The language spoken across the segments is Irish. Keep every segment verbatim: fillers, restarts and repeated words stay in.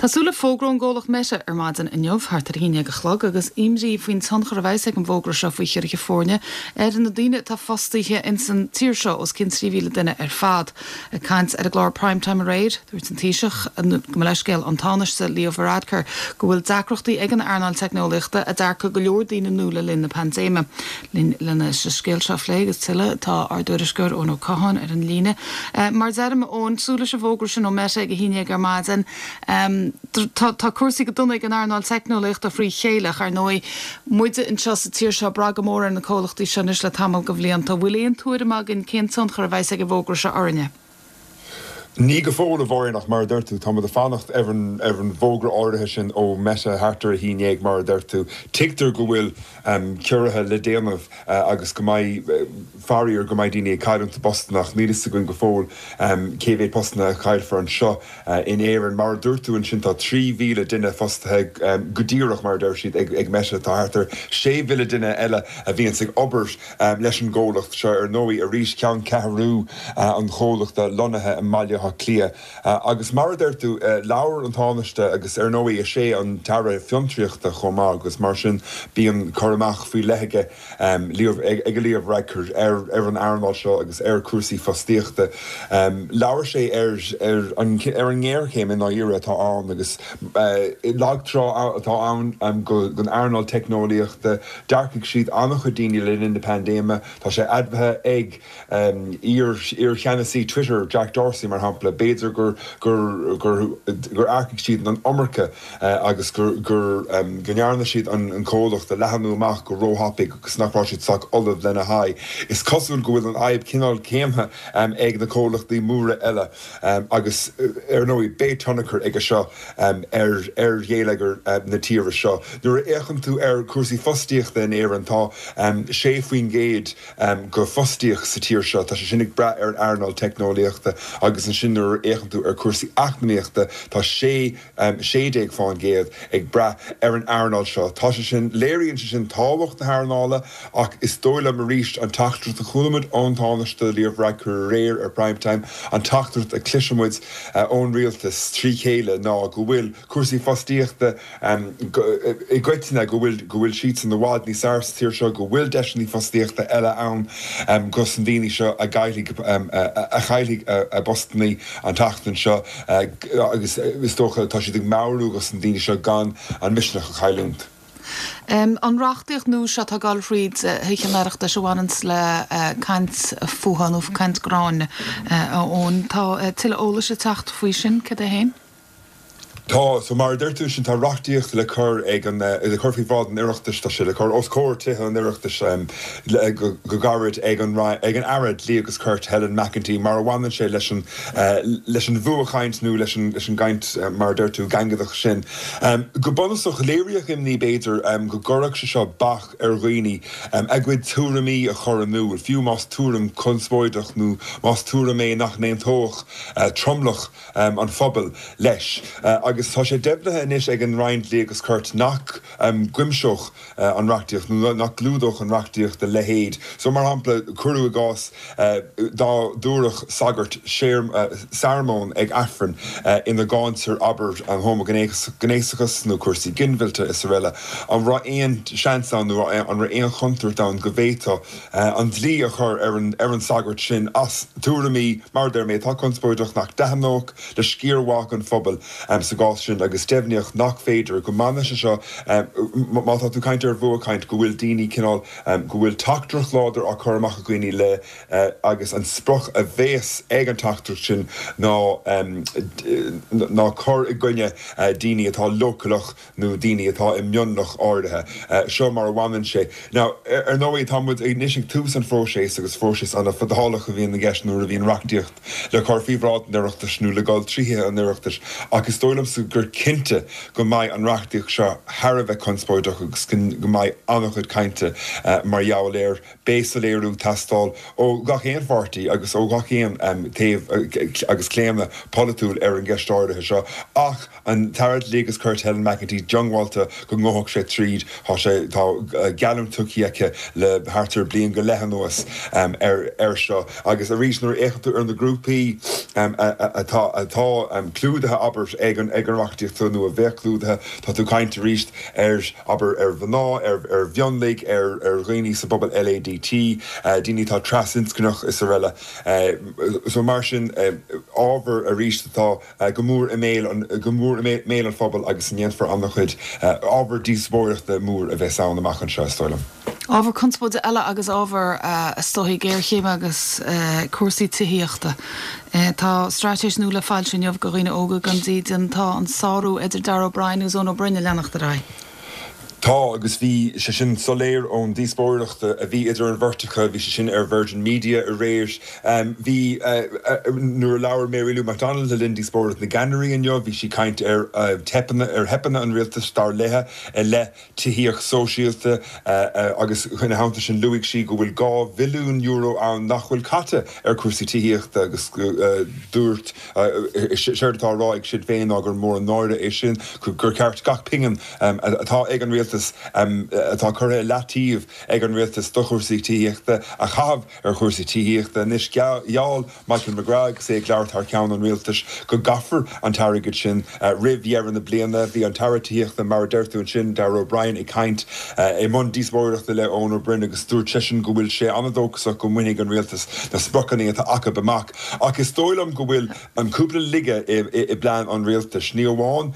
Tá súil le fógra ón gcomhlacht Meta ar maidin inniu thart ar a haon déag a chlog agus imní faoin tionchar a bheas ag an bhfógra seo faoi chiorruithe foirne ar na daoine atá fostaithe in san tír seo os cionn trí mhíle duine ar fad. Ag caint ar an gclár Primetime aréir, dúirt an Taoiseach go mba leithscéal an Tánaiste Leo Varadkar go bhfuil deacrachtaí ag an earnáil teicneolaíochta a d'earcaigh go leor daoine nua le linn na paindéime. Linn lena scéal seo a phlé agus tuilleadh tá ár dtuairisceoir Eoin Ó Catháin ar an líne. Mar a deirim Eoin súil leis an bhfógra sin ó Meta ag a haon déag ar maidin. Um, tá, tá cúrsaí go dona ag an earnáil teicneolaíochta frí chéile ar ndóigh muide anseo sa tír seo brath go mór ar na comhlachtaí seo anois le tamall de bhlianta, bhfuil aon tuairim againn cén tionchar a bheas ag an bhfógra seo orainne. Ní go fóill a Mháirín ach mar a deir tú tá ag fanacht ar an ar an bhfógra áirithe sin ó Meta thart ar a haon déag mar a deir tú. Tuigtear go bhfuil um, ciorruithe le déanamh uh, agus go mbeidh uh, faraor go mbeidh daoine ag cailliúint a bpostanna ach níl a fhios againn go fóill um, cé mhéad postanna a chaillfear anseo uh, in Éirinn mar a dúirt tú ansin tá trí mhíle duine fostaithe um, go díreach mar a deir siad ag, ag Meta tá thart ar sé mhíle duine eile a bhíonn ag obair um, leis an gcomhlacht seo ar ndóigh arís ceanncheathrú uh, an chomhlachta lonnaithe i mBaile Átha Cliath. Uh, agus mar a deir tú uh, labhair an Tánaiste agus ar ndóigh is é an tAire Fiontraíochta chomh maith agus mar sin bíonn cur amach faoi leith aige um, ag ag Leo Varadkar ar ar an earnáil seo agus ar cúrsaí fostaíochta. Um, Labhair sé ar ar an ar an ngéarchéim in áirithe atá ann agus uh, lagtrá atá ann um, go gon earnáil teicneolaíochta d'earcaigh siad an-chuid daoine le linn na paindéime, Tá sé admhaithe ag um, iar iarcheannasaí Twitter Jack Dorsey mar shampla b'fhéidir gur gur gur gur earcaigh siad an iomarca uh, agus gur gur um, go ndearna siad an, an comhlacht a leathnú amach go róthapaidh agus nach raibh siad sách ullamh lena haghaidh. Is cosúil go bhfuil an fhadhb cineál céanna um, ag na comhlachtaí móra eile um, agus uh, ar ndóigh beidh tionchar aige seo um, ar ar gheilleagar uh, na tíre seo. Nuair a fhéachann tú ar cúrsaí fostaíochta in Éirinn tá um, sé faoin gcéad um, go fostaíocht sa tír seo, tá sé sin ag brath ar an earnáil teicneolaíochta agus ansin nuair a fhéachann tú ar cúrsaí eacnamaíochta tá sé um, sé déag faoin gcéad ag brath ar an earnáil seo. Tá sé sin léiríonn sé sin tábhacht na hearnála ach is dóigh liom arís an teachtaireacht a chuala muid ón Tánaiste Leo Varadkar aréir ar primetime an teachtaireacht a chloisimid uh, ón rialtas trí chéile ná go bhfuil cúrsaí fostaíochta um, i gcoitinne go bhfuil go bhfuil siad san i bhfad níos fearr sa tír seo go bhfuil deiseanna fostaíochta eile ann um, gus an daoine seo a chaillfidh um, a, a chaillfidh a, a bpostanna an tseachtain seo uh, agus is dócha tá siad ag meabhrú gus an daoine seo gan an misneach a chailliúint. Um, an reachtaíocht nua seo atá ag dul thríd Thithe an Oireachtais a bhaineann le uh, caint fuatha nó caint gráin uh, ón tá uh, tuilleadh eolais ag teacht faoi sin cad é féin? Tá so mar deir tú sin tá reachtaíocht le cur ag an le cur faoi bhráid an Oireachtais tá sé le cur os comhair Tithe an Oireachtais um, go, go gairid ag an ag an Aire Dlí agus Cirt Helen McEntee mar a bhaineann sé leis an uh, leis an bhfuathchaint nó leis an leis an gcaint uh, mar deir tú gangaideach sin. Um, go bunúsach léiríodh imní b'fhéidir um, go gcuirfeadh sé seo bac ar dhaoine um, a gcuid tuairimí a chur in iúl, fiú más tuairim conspóideach nó más tuairim é nach n-aontódh uh, tromlach um, an phobail leis. Uh, agus tá sé deimhnithe anois ag an Roinn Dlí agus Cirt nach um, gcuimseodh uh, an reachtaíocht nó nach gclúdódh an reachtaíocht a leithéid. So mar shampla cuir i gcás uh, dá dtabharfadh sagart uh, searmón ag Aifreann uh, ina gcáintear abair an homaighnéasachas nó cúrsaí ginmhillte is araile. An raibh aon seans ann nó an raibh aon chontúirt ann go bhféadfaí uh, an dlí a chur ar an, ar an sagart sin as tuairimí mar deir mé tá conspóideach nach dtaitneodh le sciar mhaith an phobail um, sa gcás sin agus deimhníodh nach féidir go mbaineann sé seo um, má tá tú ag caint ar bhfuathchaint go bhfuil daoine cineál um, go bhfuil teachtaireacht láidir á chur amach ag daoine le uh, agus an sprioc a bheas ag an teachtaireacht sin ná um, ná cur i gcoinne uh, daoine atá leochaileach nó daoine atá i mionlach áirithe. Uh, seo mar a bhaineann sé. Now ar ndóigh tá muid anois ag tús an phróisis agus próiseas an-fhadálach a bhíonn i gceist nuair a bhíonn reachtaíocht le cur faoi bhráid an Oireachtais nó le dul trí Thithe an Oireachtais agus is dóigh liomsa gur cinnte go mbeidh an reachtaíocht seo thar a bheith conspóideach agus go mbeidh an-chuid cainte uh, mar gheall air beidh soiléiriú ag teastáil ó gach aon pháirtí agus ó gach aon um, taobh agus claonadh polaitiúil ar an gceist áirithe seo ach an tAire Dlí agus Cirt Helen McEntee diongbháilte go ngabhfaidh sé tríd tá sé tá geallúint tugtha aici le thart ar bliain go leith anuas um, ar ar seo agus arís nuair a fhéachann tú ar na grúpaí um, atá atá um, clúdaithe abair ag an ag an reachtaíocht nó a bheadh clúdaithe. Tá tú ag caint arís ar, abair, ar mhná, ar ar mhionlaigh, ar ar dhaoine sa bpobal LADT, daoine atá trasinscneach is araile. So mar sin, ábhar arís atá go mór i mbéal an go mór i mbéal an phobail agus a ndéanfar an-chuid ábhar díospóireachta mór a bheas ann amach anseo, is dóigh liom. Ábhar conspóide eile agus ábhar is dóichí géarchéime agus cúrsaí tithíochta. Tá straitéis nua le foilsiú inniu do dhaoine óga gan dídean. Tá an sárú idir Darragh O'Brien agus Eoin Ó Broin ag leanacht ar aghaidh. Tá, agus bhí sé sin soiléir ón díospóireacht a bhí idir an bheirt acu, bhí sé sin ar Virgin Media aréir. Bhí, nuair a labhair Mary Lou McDonald le linn díospóireacht na gceannairí inniu, bhí sí ag caint ar theipeanna, ar theipeanna an rialtais, dar léi, i leith tithíocht sóisialta agus ina theannta sin luaigh sí go bhfuil dhá bhilliún euro ann nach bhfuil caite ar chúrsaí tithíochta agus dúirt, séard atá á rá ag Sinn Féin ná gur mór an náire é sin, gur cheart gach pingin atá ag an rialtas, atá curtha i leataobh ag an rialtas do chúrsaí tithíochta, a chaitheamh ar chúrsaí tithíochta. Anois, gheall Michael McGrath, agus é ag labhairt thar ceann an rialtais, go gcaithfear an t-airgead sin roimh dheireadh na bliana. Bhí an tAire Tithíochta, mar a deir tú ansin, Darragh O'Brien, ag caint i mbun díospóireachta le Eoin Ó Broin agus dúirt seisean go bhfuil sé an-dóchasach go mbainfidh an rialtas na spriocanna atá acu amach. Ach is dóigh liom go bhfuil an cúpla laige i bplean an rialtais. Ní amháin,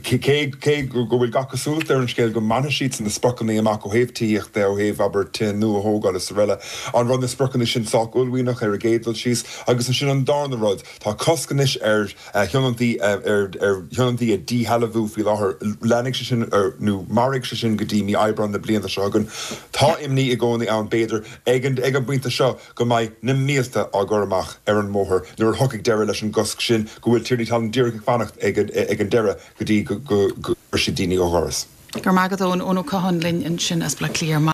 cé go bhfuil gach cosúlacht ar an scéal go mbainfidh siadsan na spriocanna amach ó thaobh tithíochta de, ó thaobh, abair, tithe nua a thógáil is araile, an raibh na spriocanna sin sách uaillmhianach ar an gcéad dul síos? Agus ansin an darna rud, tá cosc anois ar thionóntaí ar thionóntaí a dhíshealbhú faoi láthair. Leanfaidh sé sin nó mairfidh sé sin go dtí mí Aibreáin na bliana seo chugainn. Tá imní i gcónaí ann, b'fhéidir, ag an bpointe seo go mbeidh na mílte á gcur amach ar an mbóthar nuair a thiocfaidh deireadh leis an gcosc sin, go bhfuil tiarnaí talún díreach ag fanacht ag an deireadh go dtí go gcuirfidh siad daoine ó dhoras. Go raibh maith agat, Eoin. Eoin Ó Catháin linn ansin as Baile Átha Cliath ar maidin.